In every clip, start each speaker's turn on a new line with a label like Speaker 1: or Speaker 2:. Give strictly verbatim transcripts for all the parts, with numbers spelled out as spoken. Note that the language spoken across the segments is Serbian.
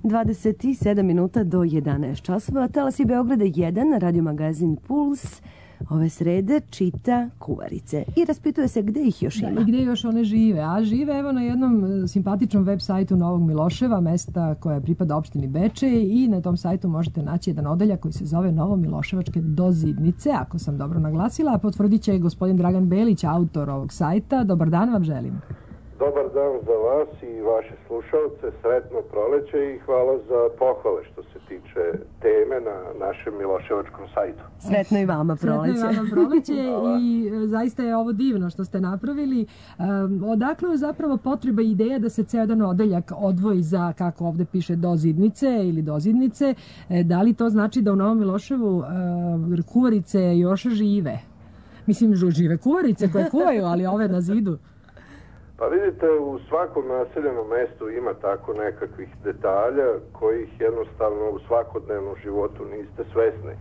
Speaker 1: dvadeset sedam minuta do jedanaest časova. Talasi Beograda jedan, radio magazin Puls, ove srede čita kuvarice i raspituje se gde ih još ima.
Speaker 2: Da, i gde još one žive. A žive evo na jednom simpatičnom web sajtu Novog Miloševa, mesta koja pripada opštini Bečej, i na tom sajtu možete naći jedan odeljak koji se zove Novomiloševačke dozidnice, ako sam dobro naglasila, a potvrdit će gospodin Dragan Belić, autor ovog sajta. Dobar dan vam želim.
Speaker 3: Dobar dan za vas i vaše slušalce, sretno proleće i hvala za pohvale što se tiče teme na našem Miloševačkom sajtu.
Speaker 1: Sretno i vama proleće.
Speaker 2: Sretno i vama proleće i zaista je ovo divno što ste napravili. Um, odakle je zapravo potreba i ideja da se ceo jedan odeljak odvoji za, kako ovde piše, dozidnice ili dozidnice? E, da li to znači da u Novom Miloševu uh, kuvarice još žive? Mislim, žive kuvarice koje kuvaju, ali ove na zidu.
Speaker 3: Pa vidite, u svakom naseljenom mestu ima tako nekakvih detalja kojih jednostavno u svakodnevnom životu niste svesni.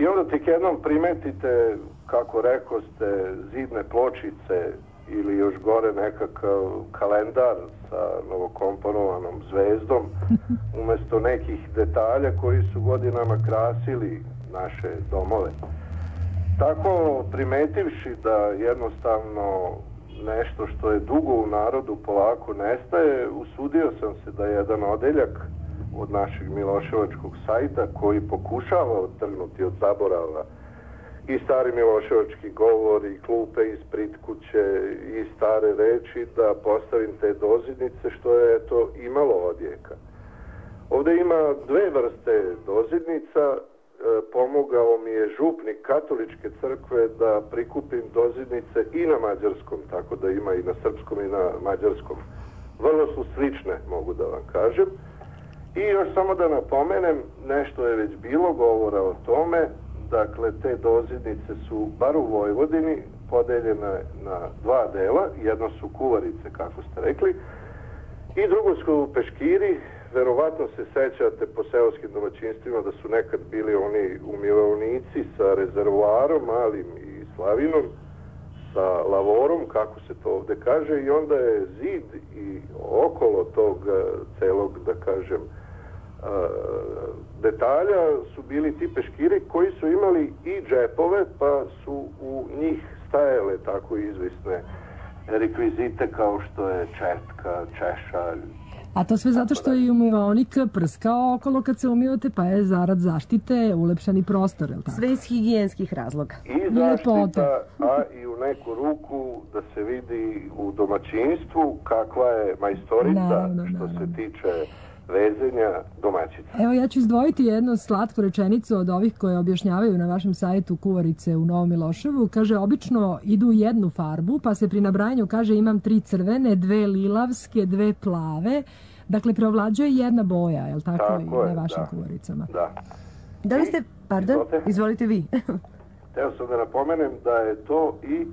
Speaker 3: I onda tek jednom primetite, kako rekoste, zidne pločice ili još gore nekakav kalendar sa novokomponovanom zvezdom umesto nekih detalja koji su godinama krasili naše domove. Tako primetivši da jednostavno nešto što je dugo u narodu polako nestaje, usudio sam se da jedan odeljak od našeg Miloševačkog sajta, koji pokušava odtrgnuti od zaborava i stari miloševački govor i klupe iz Pritkuće i stare reči, da postavim te dozidnice, što je eto imalo odjeka. Ovde ima dve vrste dozidnica. Pomogao mi je župnik katoličke crkve da prikupim dozidnice i na mađarskom, tako da ima i na srpskom i na mađarskom. Vrlo su slične, mogu da vam kažem. I još samo da napomenem, nešto je već bilo govora o tome, dakle te dozidnice su, bar u Vojvodini, podeljene na dva dela. Jedno su kuvarice, kako ste rekli, i drugo su peškiri. Verovatno se sećate po seoskim domaćinstvima da su nekad bili oni umivaonici sa rezervoarom, malim i slavinom, sa lavorom, kako se to ovde kaže, i onda je zid i okolo tog celog, da kažem, detalja su bili ti peškiri koji su imali i džepove, pa su u njih stajale tako izvisne rekvizite kao što je četka, češalj.
Speaker 2: A to sve zato što je umivaonik prskao okolo kad se umivate, pa je zarad zaštite ulepšani prostor, je li tako?
Speaker 1: Sve iz higijenskih razloga.
Speaker 3: I zaštita, a i u neku ruku da se vidi u domaćinstvu kakva je majstorica naravno, što naravno. se tiče vezenja domaćica.
Speaker 2: Evo, ja ću izdvojiti jednu slatku rečenicu od ovih koje objašnjavaju na vašem sajtu kuvarice u Novom Miloševu. Kaže, obično idu u jednu farbu, pa se pri nabrajanju kaže imam tri crvene, dve lilavske, dve plave. Dakle, preovlađuje jedna boja, je li tako, tako i je, na vašim
Speaker 3: da.
Speaker 2: kuvaricama?
Speaker 3: Da.
Speaker 1: Da li ste, pardon, izvolite, izvolite vi.
Speaker 3: Teo sam da napomenem da je to i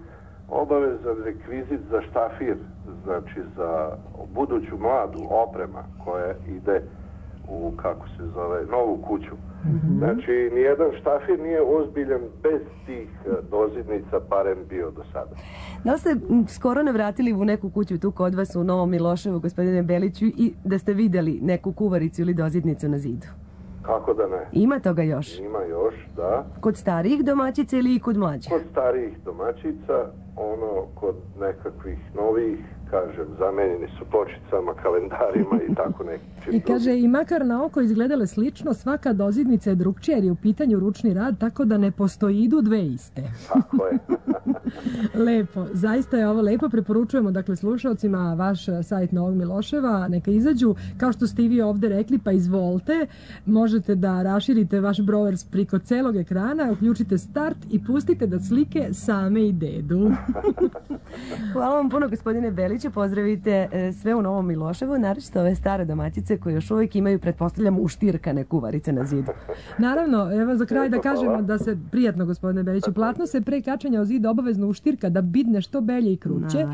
Speaker 3: obavezan rekvizit za štafir, znači za buduću mladu oprema koja ide u, kako se zove, novu kuću. Mm-hmm. Znači, nijedan štafir nije ozbiljan bez tih dozidnica, barem bio do sada.
Speaker 1: Da li ste skoro navratili u neku kuću tu kod vas u Novom Miloševu, gospodine Beliću, i da ste videli neku kuvaricu ili dozidnicu na zidu?
Speaker 3: Kako da ne?
Speaker 1: Ima toga još?
Speaker 3: Ima još, da.
Speaker 2: Kod starijih domaćica ili kod mlađih?
Speaker 3: Kod starijih domaćica, ono, kod nekakvih novih, kažem, zamenjeni su pločicama, kalendarima i tako neki.
Speaker 2: I kaže, i makar na oko izgledale slično, svaka dozidnica je drugčija jer je u pitanju ručni rad, tako da ne postoji idu dve iste.
Speaker 3: Tako je.
Speaker 2: Lepo, zaista je ovo lepo. Preporučujemo, dakle, slušalcima vaš sajt Novog Miloševa, neka izađu, kao što ste i vi ovde rekli, pa izvolite, možete da raširite vaš brower priko celog ekrana, uključite start i pustite da slike same i dedu.
Speaker 1: Hvala vam puno, gospodine Beliću, pozdravite sve u Novom Miloševu, naročito ove stare domaćice koje još uvijek imaju, pretpostavljam, uštirkane kuvarice na zidu.
Speaker 2: Naravno, evo za kraj da kažemo da se, prijatno gospodine Beliću, platno se pre kačanja o zid obavezno uštirka da bidne što belje i kruće.